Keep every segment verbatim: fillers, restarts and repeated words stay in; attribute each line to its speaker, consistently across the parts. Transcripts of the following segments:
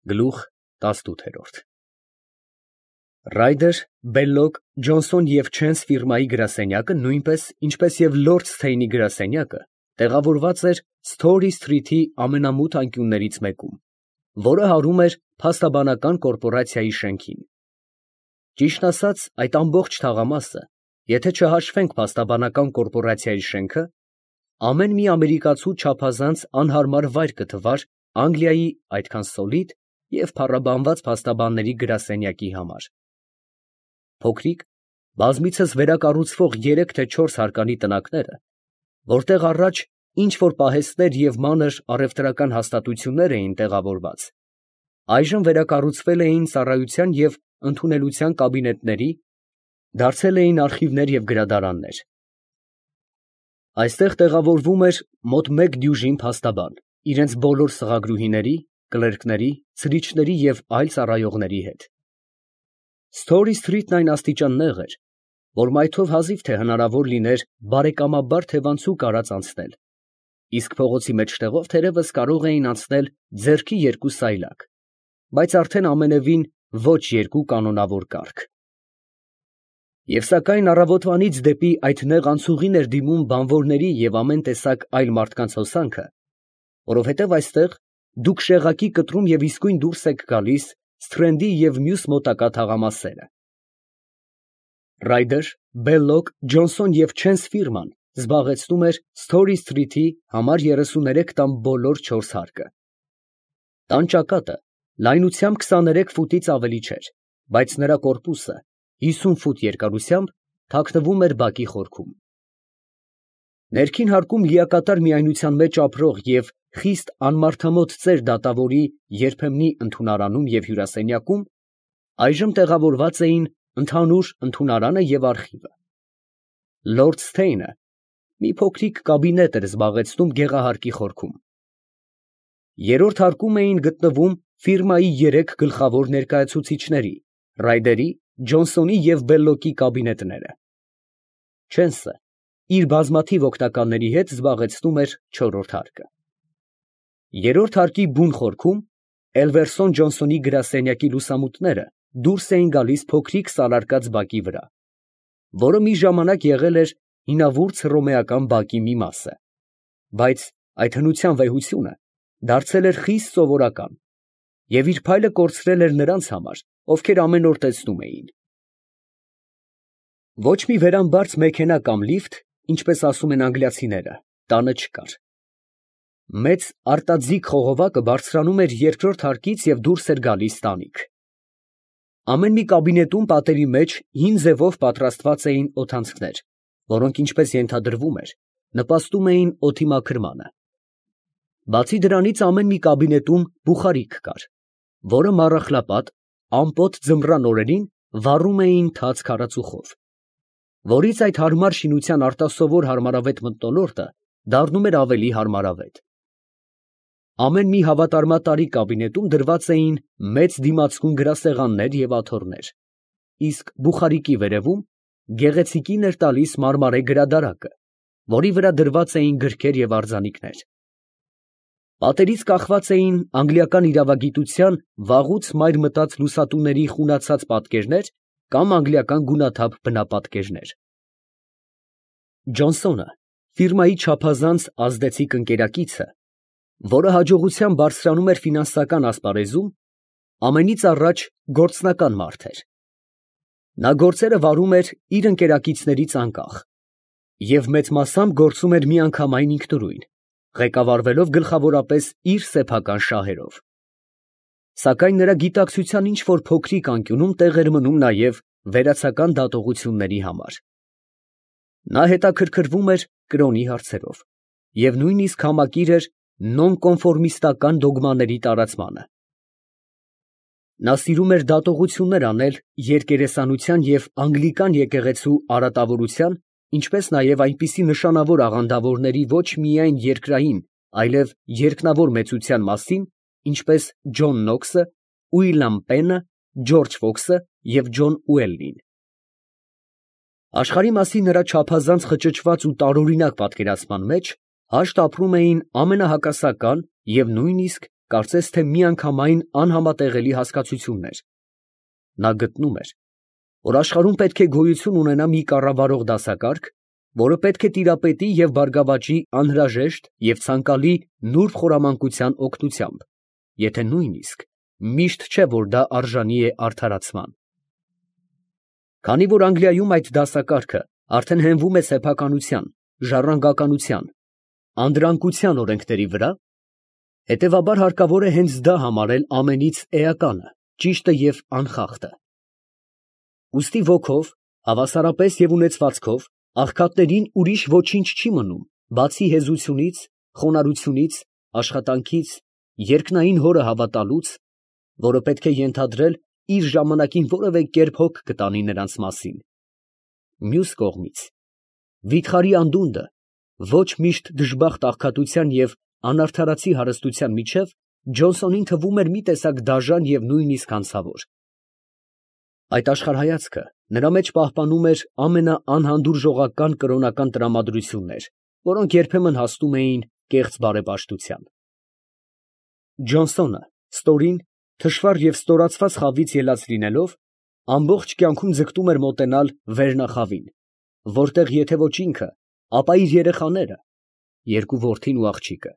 Speaker 1: Գլուխ տասնութ։ Ռայդեր, Բելլոկ, Ջոնսոն և Չենս ֆիրմայի գրասենյակը, նույնպես ինչպես և Լորդսթեյնի գրասենյակը, տեղավորված էր Սթորի սթրիթի ամենամութ անկյուններից մեկում, որը հարում էր փաստաբանական կորպորացիայի շենքին։ Ճիշտն ասած, այդ ամբողջ թաղամասը, եթե չհաշվենք փաստաբանական կորպորացիայի շենքը, ամեն մի ամերիկացու չափազանց անհարմար վայր կթվար Անգլիայի այդքան սոլիդ և փառաբանված փաստաբանների գրասենյակի համար։ Փոքրիկ, բազմիցս վերակառուցվող երեք թե չորս հարկանի տնակները, որտեղ առաջ ինչ֊որ պահեստներ և մանր առևտրական հաստատություններ էին տեղավորված, այժմ վերակառուցվել էին ծառայության և ընդունելության կաբինետների, դարձել էին արխիվներ և գրադարաններ։ Այստեղ տեղավորվում էր մոտ մեկ դյուժին փաստաբան, իրենց բոլոր սղագրուհիների, կլերկների, ցրիչների և այլ ծառայողների հետ։ Սթորի սթրիթն այն աստիճան նեղ էր, որ մայթով հազիվ թե հնարավոր լիներ բարեկամաբար թևանցուկ արած անցնել, իսկ փողոցի մեջտեղով թերևս կարող էին անցնել ձեռքի երկու սայլակ, բայց արդեն ամենևին ոչ երկու կանոնավոր կառք։ Եվ սակայն առավոտվանից դեպի այդ նեղ անցուղին էր դիմում բանվորների և ամեն տեսակ այլ մարդկանց հոսանքը, որովհետև այստեղ դուք շեղակի կտրում և իսկույն դուրս եք գալիս Սթրենդի և մյուս մոտակա թաղամասերը։ Ռայդեր, Բելլոկ, Ջոնսոն և Չենս ֆիրման զբաղեցնում էր Սթորի սթրիթի համար երեսուներեք տան բոլոր չորս հարկը։ Տան ճակատը լայնությամբ քսաներեք ֆուտից ավելի չէր, բայց նրա կորպուսը հիսուն ֆուտ երկարությամբ թաքնվում էր բակի խորքում։ Ներքին հարկում լիակատար միայնության մեջ ապրող և խիստ անմարդամոտ ծեր դատավորի երբեմնի ընդունարանում և հյուրասենյակում այժմ տեղավորված էին ընդհանուր ընդունարանը և արխիվը։ Լորդսթեյնը մի փոքրիկ կաբինետ էր զբաղեցնում գեղահարկի խորքում։ Երրորդ հարկում էին գտնվում ֆիրմայի երեք գլխավոր ներկայացուցիչների՝ Ռայդերի, Ջոնսոնի և Բելլոկի կաբինետները։ Չենսը իր բազմաթիվ օգնականների հետ զբաղեցնում էր չորրորդ հարկը։ Երրորդ հարկի բուն խորքում Էլվերսոն Ջոնսոնի գրասենյակի լուսամուտները դուրս էին գալիս փոքրիկ սալարկած բակի վրա, որը մի ժամանակ եղել էր հինավուրց հռոմեական բակի մի մասը, բայց այդ հնության վեհությունը դարձել էր խիստ սովորական և իր փայլը կորցրել էր նրանց համար, ովքեր ամեն օր տեսնում էին։ Ոչ մի վերամբարձ մեքենա կամ լիֆտ, ինչպես ասում են անգլիացիները, տանը չկար։ Մեծ արտաձիգ խողովակը բարձրանում էր երկրորդ հարկից և դուրս էր գալիս տանիք։ Ամեն մի կաբինետում պատերի մեջ հին ձևով պատրաստված էին օդանցքներ, որոնք, ինչպես ենթադրվում էր, նպաստում էին օդի մաքրմանը։ Բացի դրանից ամեն մի կաբինետում բուխարիկ կար, որը մառախլապատ, ամպոտ ձմռան օրերին վառում էին թաց քարածուխով, որից այդ հարմար շինության արտասովոր հարմարավետ մթնոլորտը դառնում էր ավելի հարմարավետ։ Ամեն մի հավատարմատարի կաբինետում դրված էին մեծ դիմացկուն գրասեղաններ և աթոռներ, իսկ բուխարիկի վերևում գեղեցիկին էր տալիս մարմարե գրադարակը, որի վրա դրված էին գրքեր և արձանիկներ։ Պատերից կախված էին անգլիական իրավագիտության վաղուց մայր մտած լուսատուների խունացած պատկերներ կամ անգլիական գունաթափ բնապատկերներ։ Ջոնսոնը, ֆիրմայի չափազանց ազդեցիկ ընկերակիցը, որը հաջողությամբ բարձրանում էր ֆինանսական ասպարեզում, ամենից առաջ գործնական մարդ էր։ Նա գործերը վարում էր իր ընկերակիցներից անկախ և մեծ մասամբ գործում էր միանգամայն ինքնուրույն, ղեկավարվելով գլխավորապես իր սեփական շահերով։ Սակայն նրա գիտակցության ինչ֊որ փոքրիկ անկյունում տեղ էր մնում նաև վերացական դատողությունների համար։ Նա հետաքրքրվում էր կրոնի հարցերով և նույնիսկ համակիր էր նոնկոնֆորմիստական դոգմաների տարածմանը։ Նա սիրում էր դատողություններ անել երկերեսանության և անգլիկան եկեղեցու արատավորության, ինչպես նաև այնպիսի նշանավոր աղանդավորների ոչ միայն երկրային, այլև երկնավոր մեծության մասին, ինչպես Ջոն Նոքսը, Ուիլյամ Պենը, Ջորջ Ֆոքսը և Ջոն Ուելլին։ Աշխարհի մասին նրա չափազանց խճճված ու տարօրինակ պատկերացման մեջ հաշտ ապրում էին ամենահակասական և նույնիսկ կարծես թե միանգամայն անհամատեղելի հասկացություններ։ Նա գտնում էր, որ աշխարհում պետք է գոյություն ունենա մի կառավարող դասակարգ, որը պետք է տիրապետի և բարգավաճի անհրաժեշտ և ցանկալի նուրբ խորամանկության օգնությամբ, եթե նույնիսկ միշտ չէ, որ դա արժանի է արդարացման։ Քանի որ Անգլիայում այդ դասակարգը արդեն հենվում է սեփականության, ժառանգականության, անդրանկության օրենքների վրա, հետևաբար հարկավոր է հենց դա համարել ամենից էականը, ճիշտը և անխախտը։ Ուստի ոգով, հավասարապես և ունեցվածքով աղքատներին ուրիշ ոչինչ չի մնում, բացի հեզությունից, խոնարհությունից, աշխատանքից, երկնային Հորը հավատալուց, որը պետք է ենթադրել իր ժամանակին որևէ կերպ հոգ կտանի նրանց մասին։ Մյուս կողմից, վիթխարի անդունդը ոչ միշտ դժբախտ աղքատության և անարդարացի հարստության միջև Ջոնսոնին թվում էր մի տեսակ դաժան և նույնիսկ հանցավոր։ Այդ աշխարհայացքը նրա մեջ պահպանում էր ամենաանհանդուրժողական կրոնական տրամադրություններ, որոնք երբեմն հասնում էին կեղծ բարեպաշտության։ Ջոնսոնը ստորին, թշվառ և ստորացված խավից ելած լինելով, ամբողջ կյանքում ձգտում էր մոտենալ վերնախավին, որտեղ եթե ոչ ինքը, ապա իր երեխաները (երկու որդին ու աղջիկը)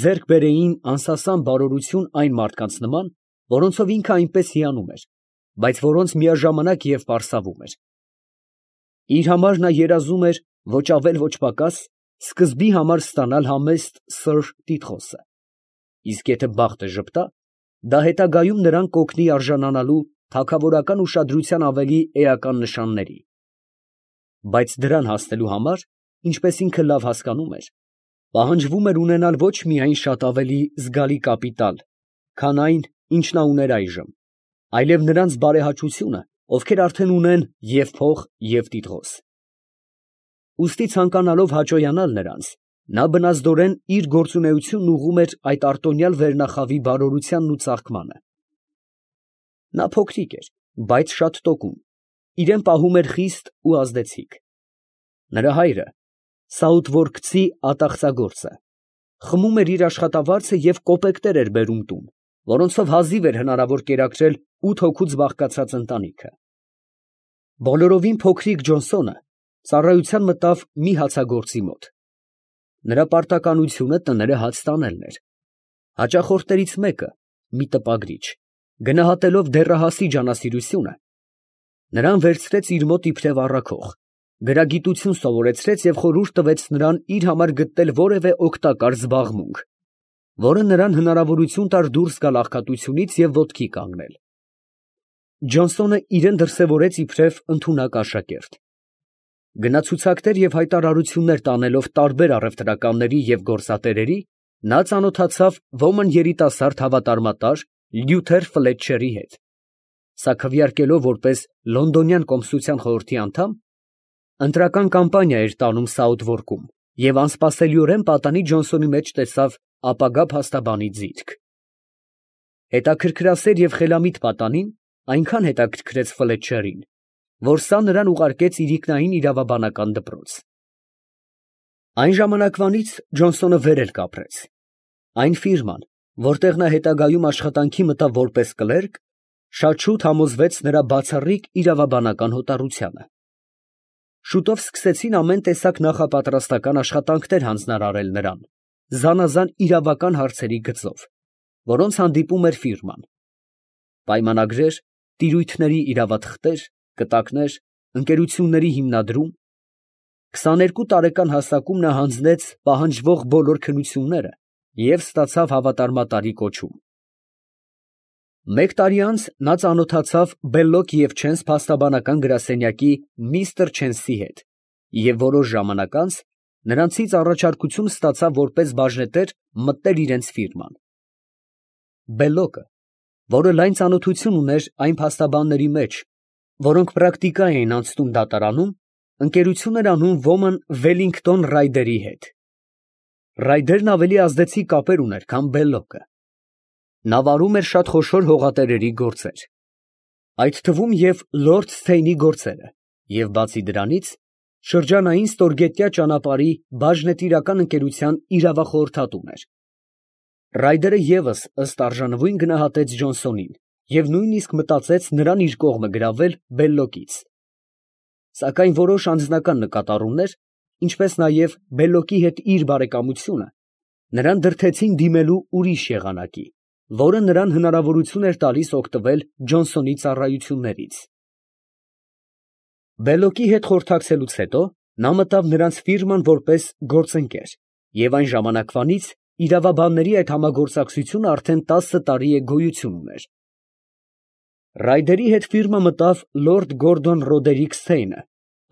Speaker 1: ձեռք բերեին անսասան բարօրություն այն մարդկանց նման, որոնցով ինքը այնպես հիանում էր, բայց որոնց միաժամանակ և պարսավում էր։ Իր համար նա երազում էր ոչ ավել ոչ պակաս սկզբի համար ստանալ համեստ սըր տիտղոսը, իսկ եթե բախտը ժպտա, դա հետագայում նրան կօգնի արժանանալու թագավորական ուշադրության ավելի էական նշանների։ Բայց դրան հասնելու համար, ինչպես ինքը լավ հասկանում էր, պահանջվում էր ունենալ ոչ միայն շատ ավելի զգալի կապիտալ, քան այն, ինչ նա ուներ այժմ, այլև նրանց բարեհաճությունը, ովքեր արդեն ունեն և փող, և տիտղոս։ Ուստի ցանկանալով հաճոյանալ նրանց, նա բնազդորեն իր գործունեությունն ուղղում էր այդ արտոնյալ վերնախավի բարօրությանն ու ծաղկմանը։ Նա փոքրիկ էր, բայց շատ տոկուն, իրան պահում էր խիստ ու ազդեցիկ։ Նրա հայրը, սաութվորքցի ատաղծագործը, խմում էր իր աշխատավարձը և կոպեկտեր էր բերում տուն, որոնցով հազիվ էր հնարավոր կերակրել ութ հոգուց բաղկացած ընտանիքը։ Բոլորովին փոքրիկ Ջոնսոնը ծառայության մտավ մի հացագործի մոտ։ Նրա պարտականությունը տները հաց տանելն էր։ Հաճախորդներից մեկը, մի տպագրիչ, գնահատելով դեռահասի ջանասիրությունը, նրան վերցրեց իր մոտ իբրև առաքող, գրագիտություն սովորեցրեց և խորհուրդ տվեց նրան իր համար գտնել որևէ օգտակար զբաղմունք, որը նրան հնարավորություն տար դուրս գալ աղքատությունից և ոտքի կանգնել։ Ջոնսոնը իրան դրսևորեց իբրև ընդունակ աշակերտ։ Գնացուցակներ և հայտարարություններ տանելով տարբեր առևտրականների և գործատերերի, նա ծանոթացավ ոմն երիտասարդ հավատարմատար Լյութեր Ֆլետչերի հետ, սա քվեարկելով որպես լոնդոնյան կոմսության խորհրդի անդամ, ընտրական կամպանիա էր տանում Սաութվորքում և անսպասելիորեն պատանի Ջոնսոնի մեջ տեսավ ապագա փաստաբանի ձիրք։ Հետաքրքրասեր և խելամիտ պատանին այնքան հետաքրքրեց Ֆլետչերին, որ սա նրան ուղարկեց իրիկնային իրավաբանական դպրոց։ Այն ժամանակվանից Ջոնսոնը վեր էլ կապրեց։ Այն ֆիրման, որտեղ նա հետագայում աշխատանքի մտավ որպես կլերկ, շատ շուտ համոզվեց նրա բացառիկ իրավաբանական հոտառությանը։ Շուտով սկսեցին ամեն տեսակ նախապատրաստական աշխատանքներ հանձնարարել նրան, զանազան իրավական հարցերի գծով, որոնց հանդիպում էր ֆիրման. պայմանագրեր, տիրույթների իրավաթղթեր, կտակներ, ընկերությունների հիմնադրում։ քսաներկու տարեկան հասակում նա հանձնեց պահանջվող բոլոր քննությունները և ստացավ հավատարմատարի կոչում։ Մեկ տարի անց նա ծանոթացավ Բելլոկ և Չենս փաստաբանական գրասենյակի միստր Չենսի հետ և որոշ ժամանակ անց նրանցից առաջարկություն ստացավ որպես բաժնետեր մտնել իրենց ֆիրման։ Բելլոկը, որը լայն ծանոթություն ուներ այն փաստաբանների մեջ, որոնք պրակտիկա էին անցնում դատարանում, ընկերություն էր անում ոմն Վելլինգտոն Ռայդերի հետ։ Ռայդերն ավելի ազդեցիկ կապեր ուներ, քան Բելլոկը։ Նա վարում էր շատ խոշոր հողատերերի գործեր, այդ թվում և լորդ Սթեյնի գործերը, և բացի դրանից, շրջանային ստորգետնյա ճանապարհի բաժնետիրական ընկերության իրավախորհրդատուն էր։ Ռայդերը ևս ըստ արժանվույն գնահատեց Ջոնսոնին և նույնիսկ մտածեց նրան իր կողմը գրավել Բելլոկից. սակայն որոշ անձնական նկատառումներ, ինչպես նաև Բելլոկի հետ իր բարեկամությունը, նրան դրդեցին դիմելու ուրիշ եղանակի, որը նրան հնարավորություն էր տալիս օգտվել Ջոնսոնի ծառայություններից։ Բելլոկի հետ խորհրդակցելուց հետո նա մտավ նրանց ֆիրման որպես գործընկեր և այն ժամանակվանից իրավաբանների այդ համագործակցությունը արդեն տասը տարի է գոյություն ուներ։ Ռայդերի հետ ֆիրմա մտավ լորդ Գորդոն Ռոդերիկ Սթեյնը,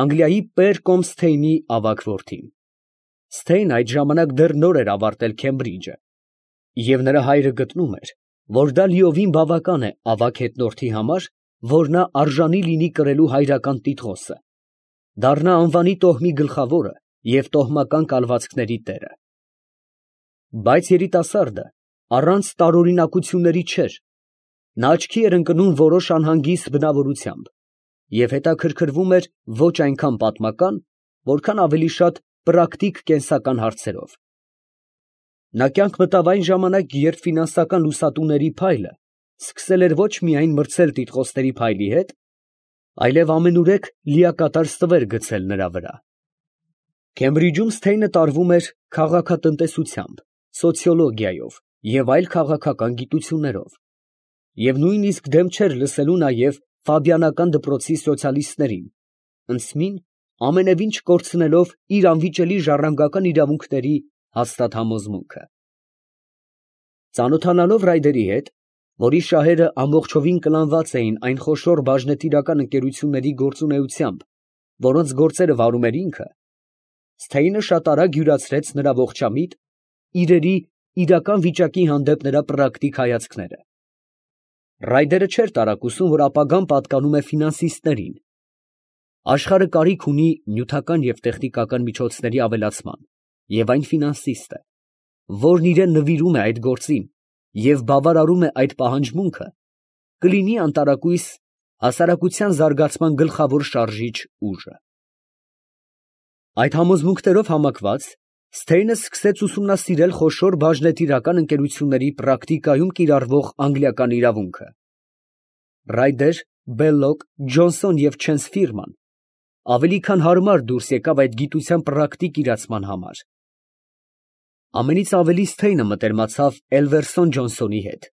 Speaker 1: Անգլիայի Պեր կոմ Սթեյնի ավագ որդին։ Սթեյնը այդ ժամանակ դեռ նոր էր ավարտել Քեմբրիջը, և նրա հայրը գտնում էր, որ դա լիովին բավական է ավագ հետնորդի համար, որ նա արժանի լինի կրելու հայրական տիտղոսը, դառնա անվանի տոհմի գլխավորը և տոհմական կալվածքների տերը։ Բայց երիտասարդը առանց տարօրինակությունների չէր, նա աչքի էր ընկնում որոշ անհանգիստ բնավորությամբ և հետաքրքրվում էր ոչ այնքան պատմական, որքան ավելի շատ պրակտիկ կենսական հարցերով։ Նա կյանք մտավ այն ժամանակ, երբ ֆինանսական լուսատուների փայլը սկսել էր ոչ միայն մրցել տիտղոսների փայլի հետ, այլև ամենուրեք լիակատար ստվեր գցել նրա վրա։ Քեմբրիջում Սթեյնը տարվում էր քաղաքատնտեսությամբ, սոցիոլոգիայով և այլ քաղաքական գիտություններով, և նույնիսկ դեմ չէր լսելու նաև Ֆաբիանական դպրոցի սոցիալիստներին, ընդցմին ամենևին չկորցնելով իր անվիճելի ժառանգական իրավունքների հաստատ համոզմունքը։ Ծանոթանալով Ռայդերի հետ, որի շահերը ամբողջովին կլանված էին այն խոշոր բաժնետիրական ընկերությունների գործունեությամբ, որոնց գործերը վարում էր ինքը, Սթեյնը շատ արագ յուրացրեց նրա ողջամիտ, իրերի իրական վիճակի հանդեպ նրա պրակտիկ հայացքները։ Ռայդերը չէր տարակուսում, որ ապագան պատկանում է ֆինանսիստներին։ Աշխարհը կարիք ունի նյութական և տեխնիկական միջոցների ավելացման, և այն ֆինանսիստը, որն իրան նվիրում է այդ գործին և բավարարում է այդ պահանջմունքը, կլինի անտարակույս հասարակության զարգացման գլխավոր շարժիչ ուժը։ Այդ համոզմունքներով համակված, Սթեյնը սկսեց ուսումնասիրել խոշոր բաժնետիրական ընկերությունների պրակտիկայում կիրառվող անգլիական իրավունքը։ Ռայդեր, Բելլոկ, Ջոնսոն և Չենս ֆիրման ավելի քան հարմար դուրս եկավ այդ գիտության պրակտիկ իրացման համար։ Ամենից ավելի Սթեյնը մտերմացավ Էլվերսոն Ջոնսոնի հետ։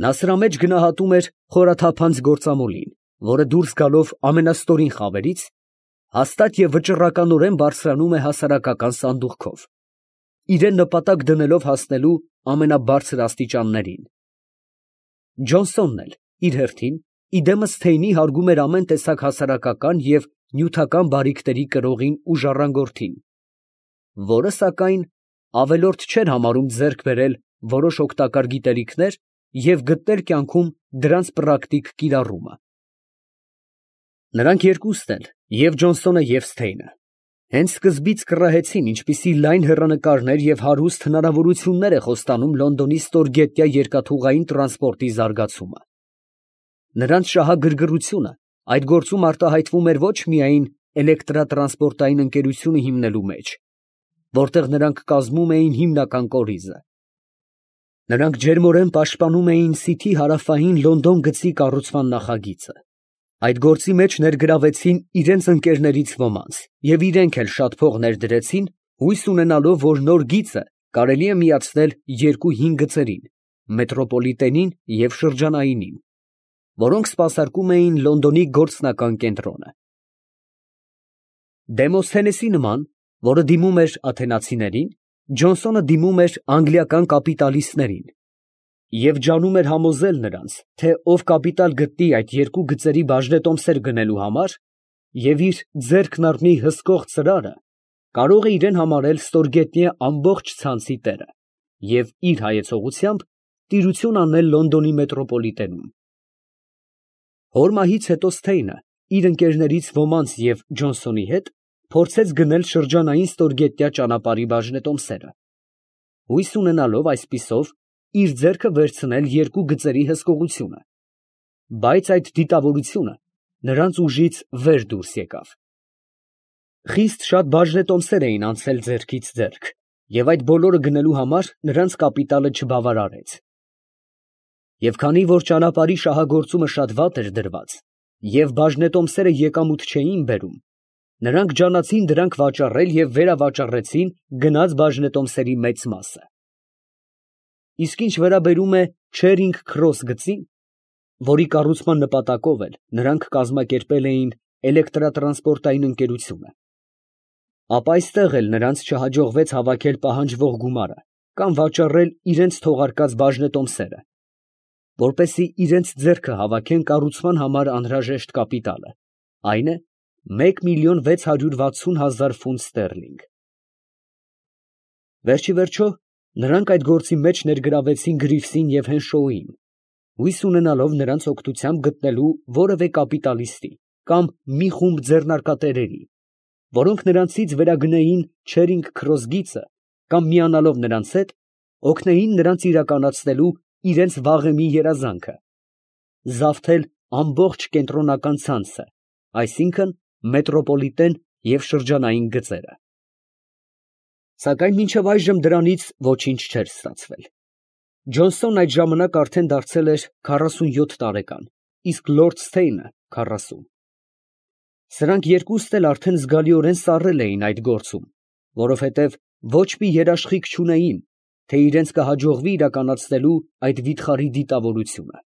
Speaker 1: Նա սրա մեջ գնահատում էր խորաթափանց գործամոլին, որը դուրս գալով ամենաստորին խավերից, հաստատ և վճռականորեն բարձրանում է հասարակական սանդուղքով, իրան նպատակ դնելով հասնելու ամենաբարձր աստիճաններին։ Ջոնսոնն էլ իր հերթին, իդեմս Սթեյնի հարգում էր ամեն տեսակ հասարակական և նյութական բարիքների կրողին ու ժառանգորդին, որը, սակայն, ավելորդ չէր համարում ձեռք բերել որոշ օգտակար գիտելիքներ և գտնել կյանքում դրանց պրակտիկ կիրառումը։ Նրանք երկուսն էլ, և Ջոնսոնը և Սթեյնը, հենց սկզբից կռահեցին, ինչպիսի լայն հեռանկարներ և հարուստ հնարավորություններ է խոստանում Լոնդոնի ստորգետնյա երկաթուղային տրանսպորտի զարգացումը։ Նրանց շահագրգռությունը այդ գործում արտահայտվում էր ոչ միայն էլեկտրատրանսպորտային ընկերությունը հիմնելու մեջ, որտեղ նրանք կազմում էին հիմնական կորիզը։ Նրանք ջերմորեն պաշտպանում էին Սիթի հարավային Լոնդոն գծի կառուցման նախագիծը։ Այդ գործի մեջ ներգրավեցին իրենց ընկերներից ոմանց և իրենք էլ շատ փող ներդրեցին, հույս ունենալով, որ նոր գիծը կարելի է միացնել երկու հին գծերին՝ մետրոպոլիտենին և շրջանայինին, որոնք սպասարկում էին Լոնդոնի գործնական կենտրոնը։ Դեմոսթենեսի նման, որը դիմում էր աթենացիներին, Ջոնսոնը դիմում էր անգլիական կապիտալիստներին և ջանում էր համոզել նրանց, թե ով կապիտալ գտնի այդ երկու գծերի բաժնետոմսեր գնելու համար և իր ձեռքն առնի հսկող ծրարը, կարող է իրեն համարել ստորգետնյա ամբողջ ցանցի տերը և իր հայեցողությամբ տիրություն անել Լոնդոնի մետրոպոլիտենում։ Հոր մահից հետո Սթեյնը իր ընկերներից ոմանց և Ջոնսոնի հետ փորձեց գնել շրջանային ստորգետնյա ճանապարհի բաժնետոմսերը, հույս ունենալով այսպիսով իր ձեռքը վերցնել երկու գծերի հսկողությունը, բայց այդ դիտավորությունը նրանց ուժից վեր դուրս եկավ։ Խիստ շատ բաժնետոմսեր էին անցել ձեռքից ձեռք, և այդ բոլորը գնելու համար նրանց կապիտալը չբավարարեց։ Եվ քանի որ ճանապարհի շահագործումը շատ վատ էր դրված, և բաժնետոմսերը եկամուտ չէին բերում, նրանք ջանացին դրանք վաճառել և վերավաճառեցին գնած բաժնետոմսերի մեծ մասը։ Իսկ ինչ վերաբերում է Չերինգ Քրոս գծին, որի կառուցման նպատակով էլ նրանք կազմակերպել էին էլեկտրատրանսպորտային ընկերությունը, ապա այստեղ էլ նրանց չհաջողվեց հավաքել պահանջվող գումարը կամ վաճառել իրենց թողարկած բաժնետոմսերը, որպեսզի իրենց ձեռքը հավաքեն կառուցման համար անհրաժեշտ կապիտալը, այն է մեկ միլիոն վեց հարյուր վաթսուն հազար ֆունտ ստերլինգ։ Վերջիվերջո նրանք այդ գործի մեջ ներգրավեցին Գրիվսին և Հենշոուին, հույս ունենալով նրանց օգնությամբ գտնելու որևէ կապիտալիստի կամ մի խումբ ձեռնարկատերերի, որոնք նրանցից վերագնեին Չերինգ Քրոս գիծը կամ միանալով նրանց հետ, օգնեին նրանց իրականացնելու իրենց վաղեմի երազանքը՝ զավթել ամբողջ կենտրոնական ցանցը, այսինքն՝ մետրոպոլիտեն և շրջանային գծերը։ Սակայն մինչև այժմ դրանից ոչինչ չէր ստացվել։ Ջոնսոնն այդ ժամանակ արդեն դարձել էր քառասունյոթ տարեկան, իսկ լորդ Սթեյնը՝ քառասուն։ Սրանք երկուսն էլ արդեն զգալիորեն սառել էին այդ գործում, որովհետև ոչ մի երաշխիք չունեին, թե իրենց կհաջողվի իրականացնելու այդ վիթխարի դիտավորությունը։